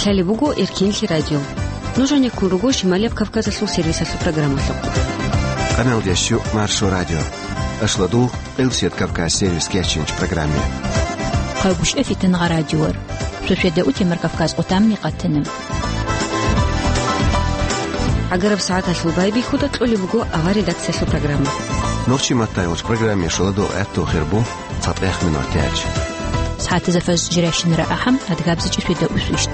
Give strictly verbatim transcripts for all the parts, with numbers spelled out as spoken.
Лъалеб буго Эркинлъи радио. Нуж гьанеккун руго Шималияб Кавказалъул сервисалъул программалъухъ. Къамел дещу Маршо радио. Ашладу, Къилсият Кавказ сервис кечинч программе. Къайгъушев Итангъа радиор. Шошеда утемар Кавказ отамни къатана. Агараб сагӀаталъул байбихьуда кьолеб буго авар редакциялъул программа. Нурчи Маттаевич программе шуладул гӀатту хирбу. ЦатӀех минутач. СагӀатазда фаз жирайщинара ахӀам, адгабзичӀи шведа усвищ.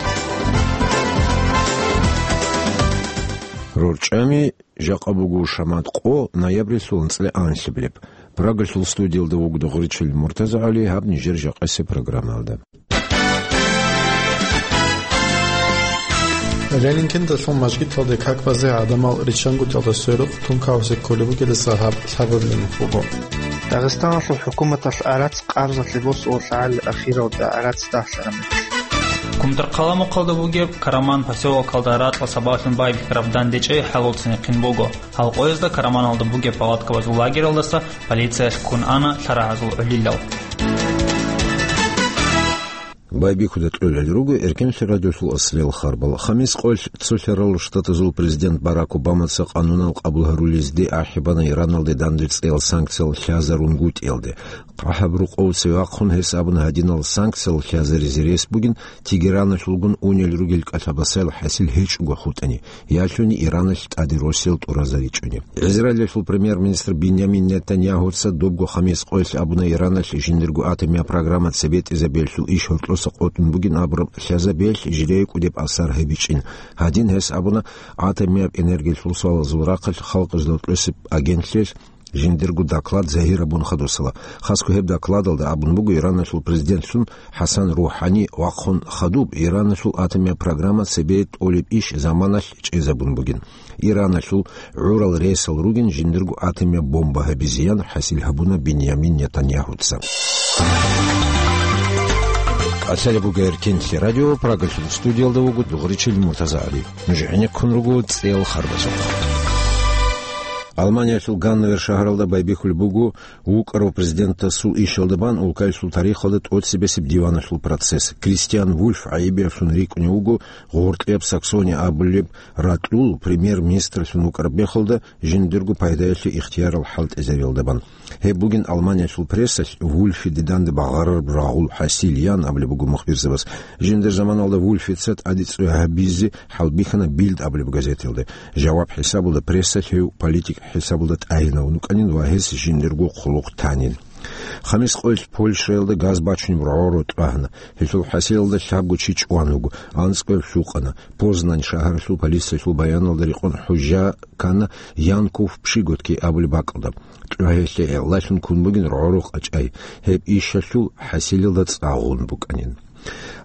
РорчӀами жакъа буго шамат къо, ноябрилъул анцӀила анлъабилеб. Прагалъул студиялда вугода Гъуричил МуртазагӀали, гьаб нижер жакъасеб программалда. Ленинкенталъул мажгиталде как базе гӀадамал риччангуталда сверухъ тункаосе кколеб бугелдаса гьаб лъабабилеб буго. Дагъистаналъул хӀукуматалъ гӀарац къабзалъе босула лъагӀалил ахиралда гӀарац дагьлъараб мехалъ. Кумтар хъаламухъалда бугеб Караман посёлокалда ракьа сабаблъун байбихьараб дандечӀей хӀалуцинехъин буго. Гьалкъоязда Караманалда бугеб палаткабазул лагералдаса полициялъ ккун ана лъарагӀазул гӀолилал. Байбихьуда кьолел руго Эркенлъи радиолъул аслел харбал. Хамис къоялъ цолъарал штатазул президент Барак Обамаца къанунал къабул гьарулезде ахӀи бана Ираналде дандечӀей санкциял лъазарунгутӀиялде. КъахӀаб рукъов цевахъун гьес абуна гьадинал санкциял лъазаризе рес бугин Тегераналъулгун унел ругел кӀалъабасайил хӀасил гьечӀого хутӀани. Ялъуни Ираналъ тӀаде росел тӀуразаричӀони. Израилалъул премьер-министр Биньямин Нетаньягьуца добго хамис къоялъ абуна Ираналъ жиндирго атомияб программа цебетӀизабиялъул иш гьоркьоса къотӀун бугин абураб лъазабиялъ жидее кӀудеб асар гьабичӀин. Гьадин гьес абуна атомияб энергиялъул суалазул рахъалъ халкъалъ гьоркьосеб агентлъиялъ жиндирго доклад загьир абун хадусала. Хасго гьеб докладалда абун буго Ираналъул президентлъун ХӀасан РухӀани вахъун хадуб Ираналъул атомияб программа цебе тӀолеб иш заманалъ чӀезабун бугин. Ираналъул гӀурал ресал ругин жиндирго атомияб бомба гьабизеян хӀасил гьабуна Биньямин Нетаньягьуца. Лъалеб буго Эркенлъи радио, Прагалъул студиялда вуго Дугъричил МуртазагӀали. Нуж гӀенеккун руго цӀел харбазухъ. Алманиялъул Ганновер шагьаралда байбихьулеб буго вукӀарав президентасул ишалда бан улкаялъул тарихалда тӀоцебесеб диваналъул процесс. Кристиан Вульф гӀайибиялъун рикӀкӀунев вуго гъоркьияб Саксония абулеб ракьул премьер-министрлъун вукӀараб мехалда жиндирго пайдаялъе ихтиярал хӀалтӀизариялда бан. Гьеб бугин Алманиялъул прессалъ Вульфиде данде багъарараб рагъул хӀасил ян абулеб буго мухбирзабаз. Жиндир заманалда Вульфица тӀаде цӀуй гьабизе хӀалбихьана Бильд абулеб газеталда. Жаваб хӀисабалда прессалъ гьев политик хӀисабалда тӀагӀинавун вукӀанин ва гьес жиндирго хъулухъ танин. Хамис къоялъ Польшаялда газ бачунеб рогӀоро тӀагьана. Гьелъул хӀасилалда лъабго чи чӀван вуго, анцӀкӀояб лъукъана. Познань шагьаралъул полициялъул баяналда рекъон хӀужа ккана Янков Пшиготки абулеб бакӀалда. ТӀугьелъе гӀелалъун ккун бугин рогӀоро къачӀай. Гьеб ишалъул хӀасилалда цӀа гъун букӀанин.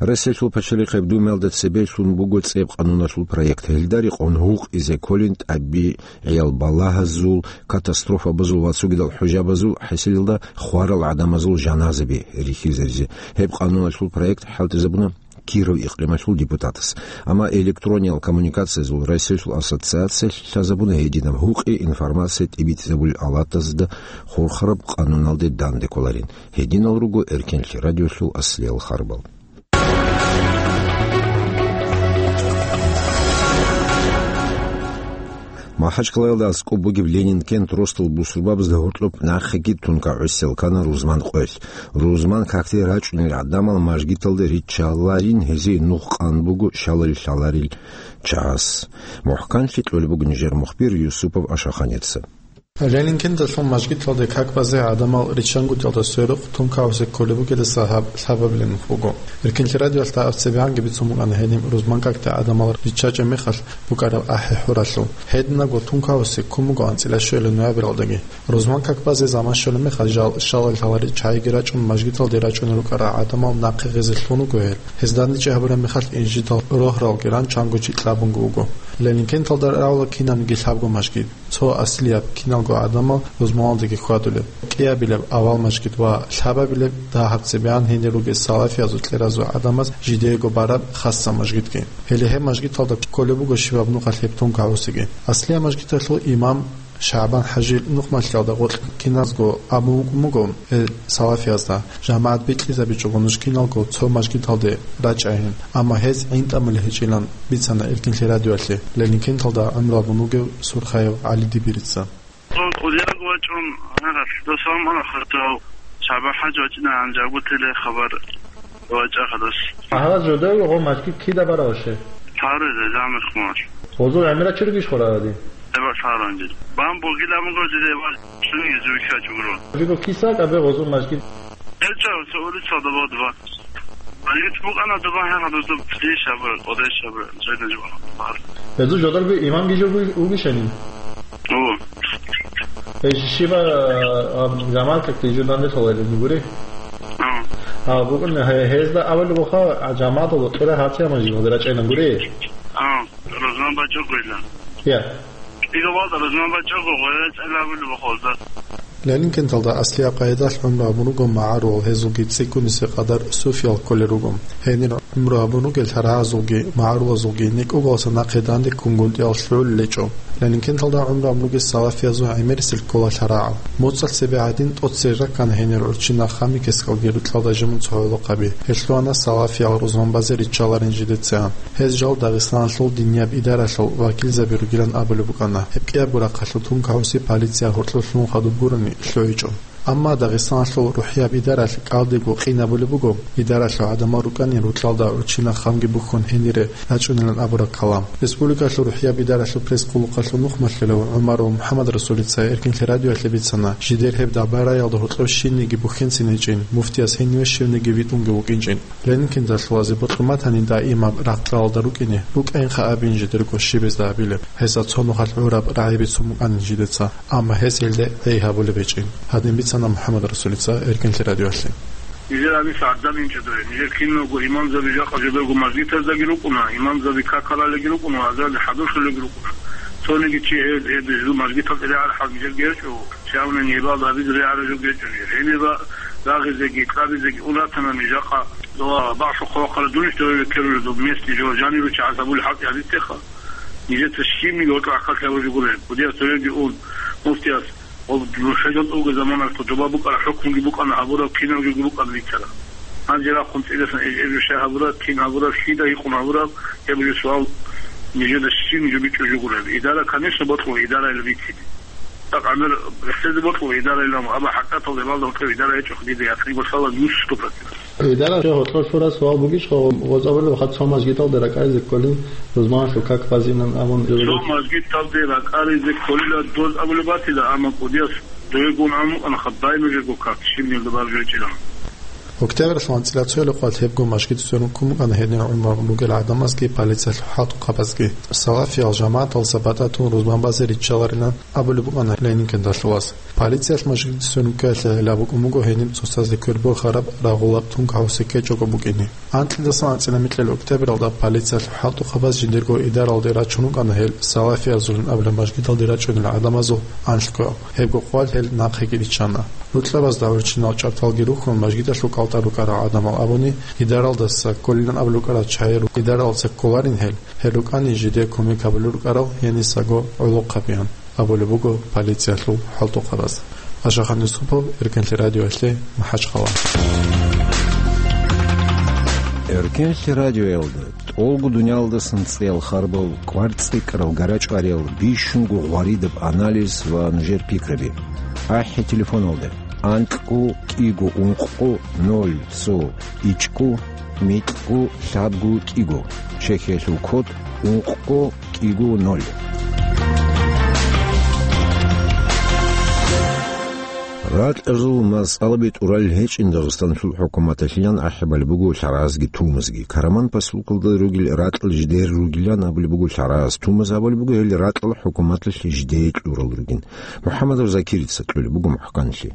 Россиялъул пачалихъеб Думаялда цебе лъун буго цӀеб къануналъул проект. Гьелда рекъон гьукъизе кколин тӀаби-, гӀиял балагьазул, катастрофабазул ва цогидал хӀужабазул хӀасилалда хварал гӀадамазул жаназаби рихьизаризе. Гьеб къануналъул проект хӀалтӀизабуна Киров икълималъул депутатас. Амма электрониял коммуникациязул Россиялъул ассоциациялъ лъазабуна гьединаб гьукъи информация тӀибитӀизабулел алатазда хурхараб къануналде данде кколарин. Гьединал руго Эркенлъи радиолъул аслиял харбал. Махачкалаялда аскӀоб бугеб Ленинкент росдал бусурбабазда гьоркьоб нахъеги тункагӀусел ккана рузман къоялъ. Рузман какде рачӀунел гӀадамал мажгиталде риччаларин гьезие нух къан буго шаларил-лъаларил чагӀаз. МухӀканлъи кьолеб буго нижер мухбир Юсупов Ашаханица. Ленинкенталъул мажгиталде как базе гӀадамал риччангуталда сверухъ тункаосе кколеб бугелдаса гьаб лъабабилеб буго. Эркинлъи радиоялъ дагьаб цебегӀанги бицун букӀана гьениб рузман какде гӀадамал риччачӀеб мехалъ букӀараб ахӀи-хӀуралъул. Гьединабго тункаосе ккун буго анцӀила щвелеб ноябралдаги. Рузман как базе заман щолеб мехалъ жал шалал-лъаларил чагӀиги рачӀун мажгиталде рачӀунел рукӀарал гӀадамал нахъе гъезе лъун руго гьел. Гьез дандечӀей гьабураб мехалъ инжидал рогьралги ран чанго чи кьабунго вуго. Ленинкенталда равла кинабниги лъабго мажгит. Цо аслияб, киналго гӀадамал рузманалдаги хьвадулеб, кӀиабилеб авал мажгит ва лъабабилеб дагьаб цебегӀан гьенир ругел салафиязул кьеразул гӀадамаз жидеего бараб хасса мажгитги. Гьеле гьеб мажгиталда кколеб буго щибаб нухалъ гьеб тункаосеги. Аслияб мажгиталъул имам ШагӀбан ХӀажил нухмалъиялда гъоркь киназго абун вукӀун буго, э, салафиязда, жамагӀат бикьизабичӀого нуж киналго цо мажгиталде рачӀайин, амма гьез гӀинтӀамулеб гьечӀилан бицана Эркинлъи радиоялъе Ленинкенталда гӀумру гьабун вугев Сурхаев ГӀали Дибирица. Дун кӀудияб вачӀун, гьаралъ досамана хутӀав, ШагӀбан-ХӀаж вачӀина гьанжагу теле хабар вачӀа хадас. Гьарал жодав гъо мажгит кида бараваше? Лъаризе, замихмар. Гъозул гӀемерал чи ругищ хвараради? Эба лъаранжи. Бан бугила муго жиде ва чуни зуйха чугро. Жиго киса кабе гъозул мажгит? Элча, со улица дова два. Алит букӀана дова хӀа хадуз дуб деш абра, одеш абра, жайна жуа. Гьезул жодорго имам гижо угишани? О. Э, шиба, а, жамаат как ты журналист холайда гури? А. А, букӀун, гье-, гьезда авал буха, а, жамаат ло кира хатия мажи гъодра чайна гури? А, Рузман бачо гойла. Я. Иго валда Рузман бачо гойла чайла авал бухолда. Ленинкенталда аслияб къайдалъ гӀумру гьабун руго магӀарул, гьезулги цӀикӀкӀунисе къадар суфиял кколел руго. Гьенир гӀумру гьабун ругел лъарагӀазулги магӀарулазулги некӀоголаса нахъе данде ккун гунтӀиял лъугӀулел гьечӀо. Ленинкенталда гӀумру гьабун ругел салафиязул гӀемерисел ккола лъарагӀал. МуцӀалъ цебе гӀадин тӀоцере раккана гьенир гӀурччи нах Хамикескалги рукьалда жимун цо гӀолохъаби. Гьелъуана салафиял рузман базе риччаларин жидецигӀан. Гьез жал Дагъистаналъул динияб идаралъул вакилзаби ругилан абулеб букӀана. Гьеб кӀиябго рахъалъул тункагӀуси полиция гьоркьор лъун хадуб гурони лъугӀичӀо. Амма Дагъистаналъул рухӀияб идаралъ кӀалдибго къинабулеб буго, идаралъул гӀадамал рукӀани рукьалда гӀурччи нах Хамги бухьун гьенире рачӀунилан абураб калам. Республикалъул рухӀияб идаралъул пресс-къулухъалъул нухмалъилав ГӀумаров МухӀаммадрасулица Эркинлъи радиоялъе бицана, жидер гьеб дабараялда гьоркьоб щинниги бухьенцин гьечӀин, муфтияс гьениве щивниги витӀунги вукӀинчӀин. Ленинкенталъулазе бокьун батани даимаб рагъ-кьалалда рукӀине, рукӀайинха абин жидерго щибезда абилеб, гьесда цо нухалъ гӀураб рагӀи бицун букӀанин жидеца, амма гьес гьелде гӀей гьабулеб гьечӀин. Гьадин бицана МухӀаммадрасулица Эркинлъи радиоялъе. Нижер гьаниса гӀадамал инчӀо дой. Нижер киналго имамзаби жакъа жодорго мажгитаздеги рукӀуна, имамзаби какалалеги рукӀуна, азарде хӀадурлъулеги рукӀуна. Цониги чи гьеб, гьеб жо мажгиталде регӀараб хӀал нижерги гьечӀо. Чавни нибал гьабизе регӀараб жо гьечӀо. Гьениб рагъизеги, кьабизеги ун ратана ниж жакъа. Дова бакӀ хъвахъара дунищ дове векерулел доб местный жо жаниру чагӀаз гьабулеб хӀалтӀи гьабизе теха. Нижеца щибниги гьоркьор гӀахьаллъи гьабулеб жо гуро. Кудияс цояги ун, муфтияс, ва нуша жал тӀуге заманалъ доба букӀараб хӀукмуги букӀана гьабураб, кинабги букӀана бицараб. Гьанже рахъун цӀидасан эж-, эжу щай гьабураб, кин гьабураб, щида гьикъун гьабураб, гьеб жо суал нижеда щиб жо бичӀчӀулеб жо гуро. Идара, конечно, бокьула, идарайила бицине. ТӀакъ гӀемер рехсезе бокьула идарайилан, амма хӀакъикъаталда гьебалда гьоркьоб идара гьечӀо, дида якъинго лъала нуш сто процент. Идара гьоркьор лъураб суал бугищха, гъоз абулеб хадуб цо мажгиталде ракӀаризе кколин, рузманалъул как базинан абун. Цо мажгиталде ракӀаризе кколила доз абулеб батила, амма кӀудияс довегун гьамукъана хадуб нужерго как, щибнилда баржу гьечӀилан. Октябрьалъул анцӀила цоял къват гьебго мажгит сверун ккун букӀана гьенир гӀумру гьабун ругел гӀадамазги полициялъул хӀалтӀухъабазги. Салафиял жамагӀаталдаса батӀа тун рузман базе риччаларилан абулеб букӀана Ленинкенталъулас. Полициялъ мажгиталде сверун ккеялъе гӀелаб букӀун буго гьениб цоцазде квер борхараб рагъулаб тункагӀуси кечӀого букӀине. Анкьидасан анцӀила микьил октябралда полициялъул хӀалтӀухъабаз жиндирго идаралде рачун рукӀана гьел салафиязулин абулеб мажгиталде рачӀунел гӀадамазул анлъго. Гьебго къвал гьел нахъеги риччана. Рукьабазда гӀурччинал чӀарталги рухьун, мажгиталъул кӀалтӀа рукӀарал гӀадамал абуни, идаралдаса кколилан абулеб букӀараб чагӀи ру-, идаралдаса кколарин гьел, гьел рукӀани жиде кумек гьабулел рукӀарал гьенисаго гӀолохъабеян. Абулеб буго полициялъул хӀалтӀухъабаз. Ашахан Юсупов, Эркенлъи радиоялъе, МахӀачхъала. Эркенлъи радиоялда тӀолго дуниялдасан цӀеял харбал, кӀвар цӀикӀкӀарал гарачӀвариял, бищунго гъваридаб анализ ва нужер пикраби. АхӀи телефоналда: анкьго кӀиго ункъго ноль цо ичӀго микьго лъабго кӀиго, Чехиялъул код ункъго кӀиго ноль. Ракьазул масъалаби тӀуралел гьечӀин Дагъистаналъул хӀукуматалъилан ахӀи балеб буго лъаразги тумазги. Караман поселокалда ругел ракьал жидер ругилан абулеб буго лъараз, тумаз абулеб буго гьел ракьал хӀукуматалъ жидее кьурал ругин. МухӀаммадов Закирица кьолеб буго мухӀканлъи.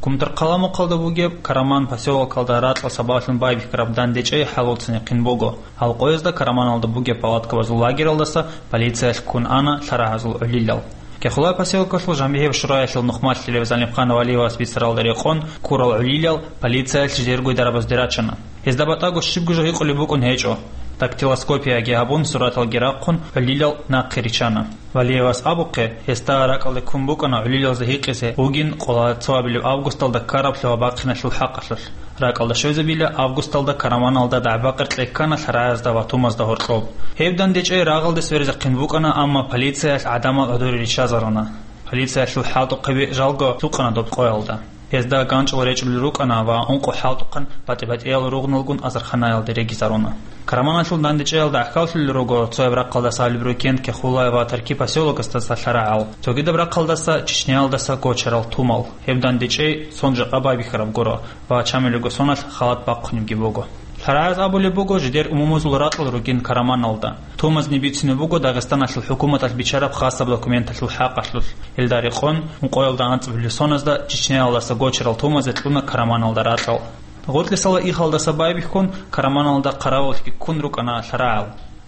Кумтар хъаламухъалда бугеб Караман поселокалда ракьал сабаблъун байбихьараб дандечӀей хӀалуцин яхъин буго. Гьал къоязда Караманалда бугеб палаткабазул лагералдаса полициялъ ккун ана лъарагьазул гӀолилал. Кехулай поселокалъул жамигӀиб шураялъул нухмалъилев Залимхан Валиевас бицаралда рекъон, ккурал гӀолилал полициялъ жидерго дарабазде рачана. Гьезда батӀаго щибго жо гьикъулеб букӀун гьечӀо. Дактилоскопияги гьабун, сураталги рахъун, гӀулилал нахъе риччана. Валиевас абухъе, гьесда ракӀалде ккун букӀана гӀулилалазда гьикъизе бугин къола цоабилеб августалда ккараблъи ва бахъиналъул хӀакъалъулъ. РакӀалда щвезабила августалда Караманалда дагӀба-къеркьей ккана лъарагӀазда ва тумазда гьоркьоб. Гьеб дандечӀей рагъалде сверизехъин букӀана, амма полицияялъ гӀадамал гӀодоре риччазаруна. Полициялъул хӀалтӀухъаби жалго лъукъана доб къоялда. Гьезда ганчӀал речӀулел рукӀана ва ункъо хӀалтӀухъан батӀи-батӀиял ругъналгун азарханаялде регизаруна. Караманалъул дандечӀеялда гӀахьаллъулел руго цояб рахъалдаса Лебрукентке, Хулай ва Тарки посёлокасдаса лъарагӀал, цогидаб рахъалдаса Чечняялдаса гочарал тумал. Гьеб дандечӀей сон жакъа байбихьараб гуро ва чамилего соналъ халат бахъунебги буго. ЛъарагӀаз абулеб буго, жидер умумузул ракьал ругин Караманалда. Тумазни бицине буго Дагъистаналъул хӀукуматалъ бичараб хасаб документалъул хӀакъалъулъ. Гьелда рекъон, ункъоялда анцӀабилеб соназда Чечняялдаса гочарал тумазе кьуна Караманалда ракьал. Гъоркьисала ихалдаса байбихьун, Караманалда хъаравуллъги ккун рукӀана лъарагӀал.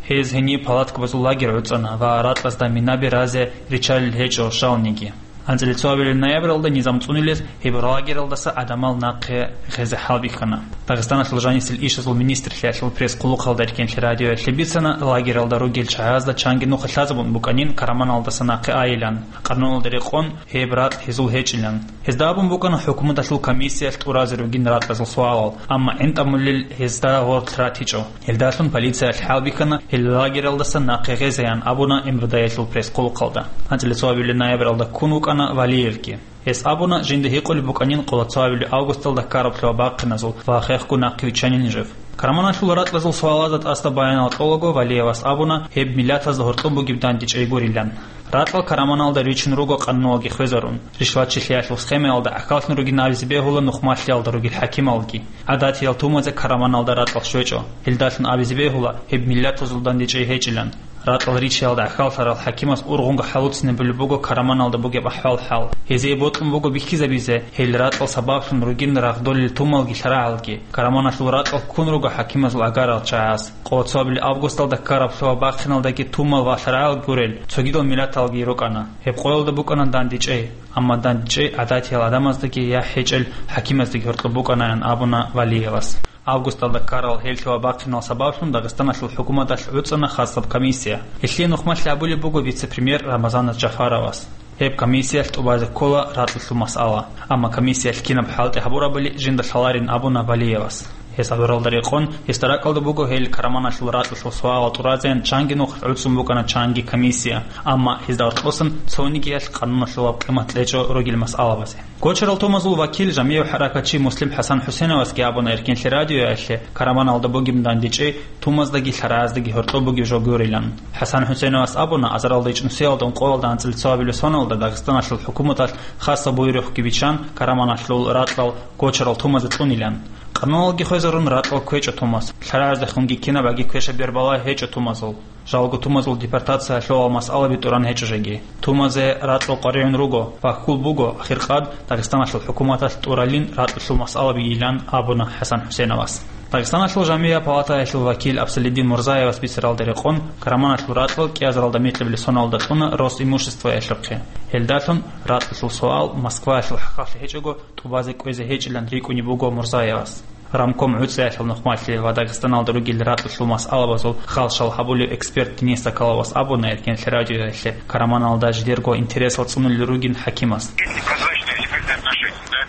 Гьез гьениб палаткабазул лагерь гӀуцӀана ва ракьазда минаби разе риччалел гьечӀо жалниги. АнцӀила цоабилеб ноябралда низам цӀунулез гьеб лагералдаса гӀадамал нахъе гъезе хӀалбихьана. Дагъистаналъул жанисел ишазул министрлъиялъул пресс-хъулухъалда рекӀелъе радиоялъе бицана, лагералда ругел чагӀазда чанги нуха лъазабун букӀанин Караманалдаса нахъе айилан, къануналда рекъон гьеб ракь гьезул гьечӀилан. Гьезда абун букӀана хӀукуматалъул комиссиялъ тӀуразе ругин ракьазул суалал, амма гӀинтӀамулел гьезда гъорлъ ратичӀо. Гьелдалъун полициялъ хӀалбихьана гьел лагералдаса нахъе гъезеян абуна МВД-ялъул пресс-хъулухъалда. АнцӀила цоабилеб ноябралда ккун вукӀана Валиевги. Гьес абуна, жинда гьикъулеб букӀанин къола цоабилеб августалда ккараблъи ва бахъиназул ва хехго нахъе виччанин жив. Караманалъул ракьазул суалазда тӀаса баянал кьолаго Валиевас абуна, гьеб миллатазда гьоркьоб бугеб дандечӀей гурилан. Ракьал Караманалда ричун руго къануналги хвезарун. Ришватчилъиялъул схемаялда гӀахьаллъун ругин абизе бегьула нухмалъиялда ругел хӀакималги. ГӀадатиял тумазе Караманалда ракьал щвечӀо. Гьелдалъун абизе бегьула, гьеб миллатазул дандечӀей гьечӀилан. Ракьал ричиялда гӀахьаллъарал хӀакимас ургъунго хӀалуцинабулеб буго Караманалда бугеб ахӀвал-хӀал. Гьезие бокьун буго бихьизабизе, гьел ракьал сабаблъун ругин рагъдолел тумалги лъарагӀалги. Караманалъул ракьал ккун руго хӀакимазул агарал чагӀаз. Къола цоабилеб августалда ккараблъи ва бахъиналдаги тумал ва лъарагӀал гурел цогидал миллаталги рукӀана. Гьеб къоялда букӀана дандечӀей, амма дандечӀей гӀадатиял гӀадамаздаги я хӀечӀел хӀакимаздаги гьоркьоб букӀанаян абуна Валиевас. Августалда ккарал гьелъи ва бахъинал сабаблъун Дагъистаналъул хӀукуматалъ гӀуцӀана хасаб комиссия. Гьелъие нухмалъи абулеб буго вице-премьер Рамазан Джафаровас. Гьеб комиссиялъ тӀубазе ккола ракьалъул масъала. Амма комиссиялъ кинаб хӀалтӀи гьабурабали жинда лъаларин абуна Валиевас. Гьес абуралда рекъон, гьесда ракӀалда буго гьел Караманалъул ракьалъул суалал тӀуразеян чанги нух гӀуцӀун букӀана чанги комиссия, амма гьезда гьоркьосан цонигиялъ къануналъулаб къимат кьечӀо ругел масъалабазе. Гочарал тумазул вакил, жамигӀ хӀаракатчи Муслим ХӀасан ХӀусеновасги абуна Эркенлъи радиоялъе, Караманалда бугеб дандечӀей тумаздаги лъарагӀаздаги гьоркьоб бугеб жо гурилан. ХӀасан ХӀусеновас абуна, азаралда ичӀнусиялда ункъоялда анцӀила цоабилеб соналда Дагъистаналъул хӀукуматалъ хасаб буюрухъги биччан, Караманалъул ракьал гочарал тумазе кьунилан. Къануналги хвезарун, ракьал кквечӀо тумаз. ЛъарагӀаздехунги кинаб аги квешаб бербала гьечӀо тумазул. Жалго тумазул депортациялъул масъалаби тӀуран гьечӀо жеги. Тумазе ракьал къваригӀун руго ва хьул буго, ахиркъад Дагъистаналъул хӀукуматалъ тӀуралин ракьалъул масъалаби йилан абуна ХӀасан ХӀусеновас. Дагъистаналъул жамигӀ палатаялъул вакил Абсалидин Мурзаевас бицаралда рекъон, Караманалъул ракьал кӀиазаралда микьабилеб соналда кьуна Росимуществоялъухъе. Гьелдалъун ракьалъул суал Москваялъул хӀакъалъе гьечӀого тӀубазе кӀвезе гьечӀилан рикӀкӀунеб буго Мурзаевас. Рамком гӀуцӀиялъул нухмалъи ва Дагъистаналда ругел ракьалъул масъалабазул халшал гьабулев эксперт Денис Соколовас абуна Эркенлъи радиоялъе, Караманалда жидерго интересал цӀунулел ругин хӀакимас. Есть непрозрачные теперь отношения, да?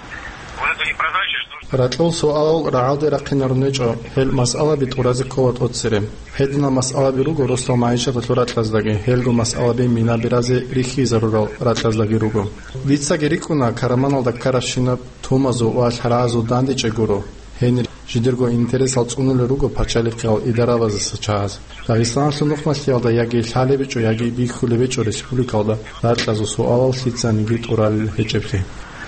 Вот это непрозрачность нужно. Ракьул суалал рагӀалде рахъинарун гьечӀо, гьел масъалаби тӀуразе ккола тӀоцере. Гьединал масъалаби руго росдал магӀишаталъул ракьаздаги, гьелго масъалаби минаби разе рихьизарурал ракьаздаги руго. Дицаги рикӀкӀуна, Караманалда ккарабщинаб тумазул ва лъарагӀазул дандечӀей гуро. Гьенир жидерго интересал цӀунулел руго пачалихъиял идарабаздаса чагӀаз. Дагъистаналъул нухмалъиялда яги лъалеб гьечӀо, яги бихьулеб гьечӀо республикалда ракьазул суалал лъицаниги тӀуралел гьечӀеблъи.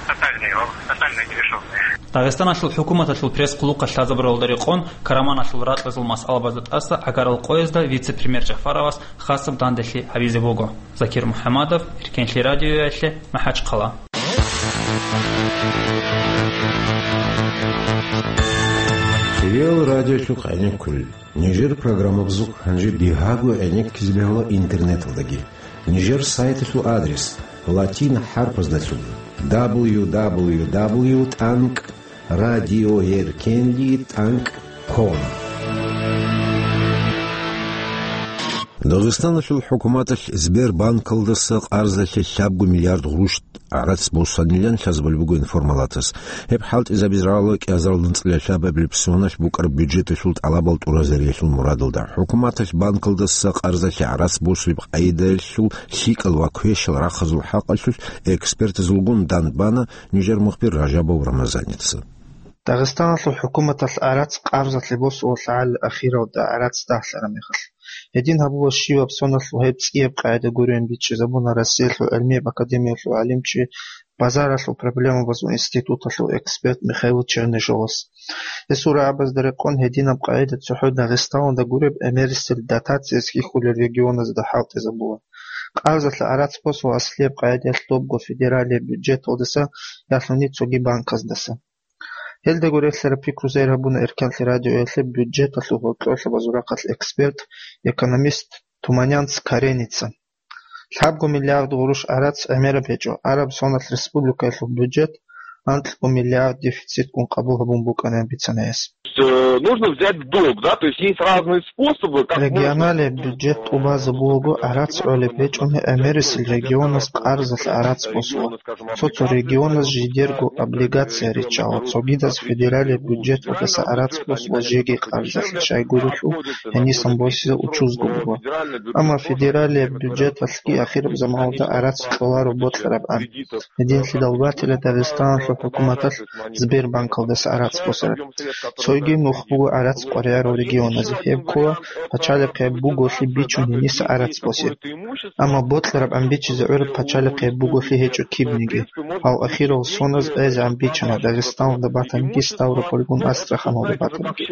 Тотальный, о, тотальный нерешённый. Дагъистаналъул хӀукуматалъул пресс-хъулухъалъ лъазабуралда рекъон, Караманалъул ракьазул масъалабазда тӀаса гӀагарал къоязда вице-премьер Джафаровас хасаб данделъи гьабизе буго. Закир МухӀамадов, Эркенлъи радиоялъе, МахӀачхъала. Хириял радиолъухъ гӀенеккулел. Нижер программабазухъ гьанже бигьаго гӀенеккизе бегьула интернеталдаги. Нижер сайталъул адрес латин хӀарпаздалъун: дабл ю дабл ю дабл ю тӀанкӀ радиоэркенли тӀанкӀ ком. Дагъистаналъул хӀукуматалъ Сбербанкалдаса къарзалъе лъабго миллиард гъурущ гӀарац босанилан лъазабулеб буго информалатас. Гьеб хӀалтӀизабизе рагӀула кӀиазарал анцӀила лъабабилеб соналъ букӀараб бюджеталъул тӀалабал тӀуразариялъул мурадалда. ХӀукуматалъ банкалдаса къарзалъе гӀарац босулеб къагӀидаялъул лъикӀал ва квешал рахъазул хӀакъалъулъ экспертазулгун дандбана нижер мухбир Ражабов Рамазаница. Дагъистаналъул хӀукуматалъ гӀарац къарзалъе босула лъагӀалил ахиралда гӀарац дагьлъараб мехалъ. Гьедин гьабула щиваб соналъул гьеб цӀияб къагӀида гуреб бичӀчӀизабуна Россиялъул гӀилмияб академиялъул гӀалимчи, базаралъул проблемабазул институталъул эксперт Михаил Чернышовас. Гьесул рагӀабазда рекъон гьединаб къагӀида цохӀо Дагъистаналда гуреб гӀемерисел дотациялъ хьихьулел регионазда хӀалтӀизабула. Къарзалъе гӀарац босула аслияб къагӀидаялъ добго федералияб бюджеталдаса, ялъуни цоги банказдаса. Гьелдаго релълъараб пикру зайр гьабуна Эркенлъи радиоялъе бюджеталъул гьоркьоб лъабазул рахъалъ эксперт, экономист Туманянц Кареница. Лъабго миллиард гъурущ гӀарац гӀемераб гьечӀо, араб соналъ республикаялъул бюджет анкьго миллиард дефицитгун къабул гьабун букӀана бицана гьес. Э, нужно взять в долг, да, то есть есть разные способы, как можно... Регионалияб бюджет тӀубазабулаго гӀарац гӀолеб гьечӀони, гӀемерисел регионаз къарзалъе гӀарац босула. Цо-цо регионаз жидерго облигация риччала, цогидаз федералияб бюджеталдаса гӀарац босула жеги къарзалъе, щайгурелъул гьенисан босизе учузго буго. Амма федералияб бюджеталъги ахираб заманалда гӀарац кьоларо бокьараб ан. Гьединлъидал батила Дагъистаналъул хӀукуматалъ Сбербанкалдаса гӀарац босараб. Цойги нух буго гӀарац къваригӀарал регионазе, гьеб ккола пачалихъияб буголъи бичун гьениса гӀарац босе. Амма бокьараб ан бичизе гӀураб пачалихъияб буголъи гьечӀо кибниги. Гьал ахирал соналъ гӀезегӀан бичана Дагъистаналда батаниги, Ставропольгун Астраханалда батаниги.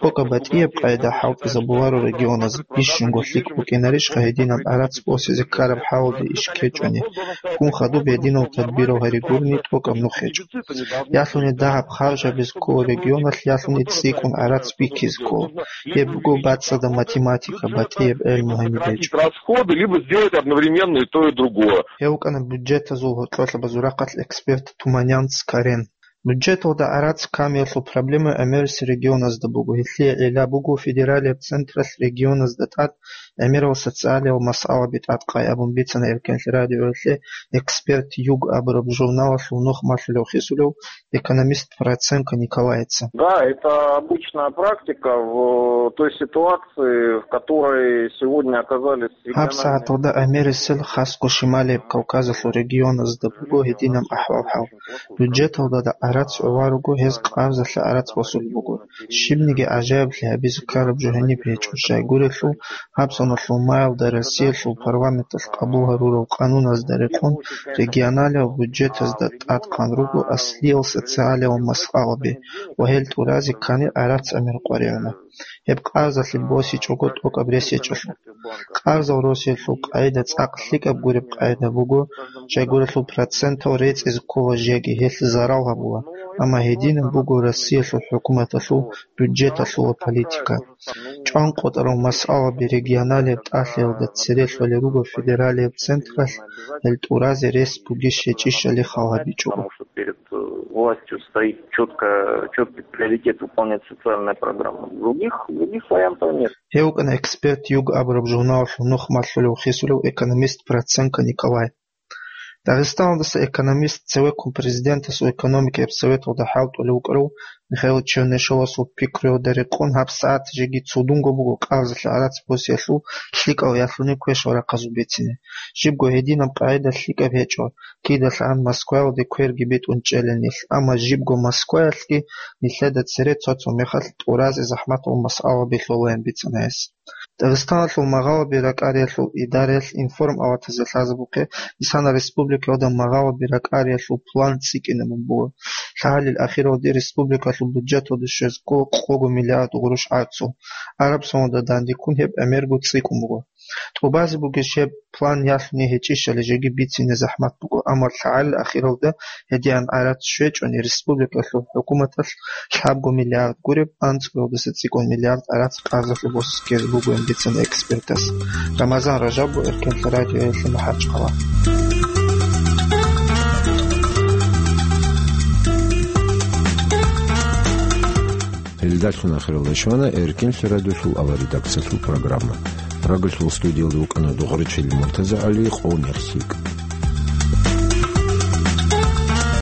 ТӀокӀаб батӀияб къайда хӀалтӀизабуларо регионаз, бищунго лъикӀ букӀинарищха гьединаб гӀарац босизе ккараб хӀалалде иш ккечӀони. Ккун хадуб гьединал тадбирал гьаригурни тӀокӀаб нух гьечӀо. Ялъуни дагьаб харжабизе ккола регионалъ, ялъуни цӀикӀкӀун гӀарац бикизе ккола. Гьеб буго бацӀцӀадаб математика, батӀияб гӀелму гьаниб гьечӀо. Расходы, либо сделать одновременно и то, и другое. Гьев вукӀана бюджетазул гьоркьоб лъабазул рахъалъ эксперт Туманянц Карен. Бюджеталда гӀарац камиялъул проблема гӀемерисел регионазда буго. Гьелъие гӀилла буго федералияб централъ регионазда тӀад гӀемерал социалиял масъалаби тӀадкъай абун бицана Эркенлъи радиоялъе эксперт «Юг» абураб журналалъул нух малъулев хисулев экономист Проценко Николайица. Да, это обычная практика в той ситуации, в которой сегодня оказались региональные... ГьабсагӀаталда гӀемерисел хасго Шималияб Кавказалъул регионазда буго гьединаб ахӀвал-хӀал. Бюджеталда гӀарац гӀоларуго, гьез къарзалъе гӀарац босулеб буго. Щибниги гӀажаиблъи гьабизе ккараб жо гьениб гьечӀо, щайгурелъул гьаб соналъул маялда Россиялъул парламенталъ къабул гьарурал къануназда рекъон регионалиял бюджетазда тӀадкъан руго аслиял социалиял масъалаби ва гьел тӀуразе ккани гӀарац гӀемер къваригӀуна. Гьеб къарзалъе босичӀого тӀокӀаб рес гьечӀолъул. Къарзал росиялъул къайда цӀакъ лъикӀаб гуреб къайда буго, щайгурелъул процентал рецӀизе ккола жеги, гьелъ зарал гьабула, амма гьединаб буго Россиялъул хӀукуматалъул бюджеталъула политика. ЧӀванкъотӀарал масъалаби регионалияб тӀалъиялда цере лъолел руго федералияб централъ, гьел тӀуразе рес бугищ гьечӀищали хал гьабичӀого. Потому что перед, э, властью стоит чётко, чёткий приоритет выполнять социальная программа. Других, других вариантов нет. Гьев вукӀана эксперт «Юг» абураб журналалъул нух малъулев хисулев экономист Проценко Николай. Дагъистаналдаса экономист цевеккун президентасул экономикаяб советалда хӀалтӀулев вукӀарав Михаил Чернышовасул пикруялда рекъон гьабсагӀат жеги цудунго буго къарзалъе гӀарац босиялъул лъикӀал ялъуни квешал рахъазул бицине. Жибго гьединаб къагӀида лъикӀаб гьечӀо, кидалъан Москваялде кверги битӀун чӀела нилъ, амма жибго Москваялъги нилъеда цере цо-цо мехалъ тӀуразе захӀматал масъалаби лъолаян бицана гьес. Дагъистаналъул магъалаби ракӀариялъул идараялъ информ аватазе лъазабухъе, исана республикаялда магъалаби ракӀариялъул план цӀикӀкӀинабун буго. ЛъагӀалил ахиралде республикалъул бюджеталде щвезго къого миллиард гъурущ гӀарцул. Араб соналда дандеккун гьеб гӀемерго цӀикӀкӀун буго. ТӀубазе бугищ гьеб план ялъуни гьечӀищали жеги бицине захӀмат буго, амма лъагӀалил ахиралда гьедигӀан гӀарац щвечӀони, республикалъул хӀукуматалъ лъабго миллиард гуреб, анцӀгоялдаса цӀикӀкӀун миллиард гӀарац къарзалъе босизе ккезе бугоян бицана экспертас. Рамазан Ражабов, Эркенлъи радиоялъе, МахӀачхъала. Гьелдалъун ахиралда щвана Эркенлъи радиолъул авария редакциялъул программа. Рагулъул студиялда вукӀана дугӀручил МуртазагӀали, къо-нерсикӀ.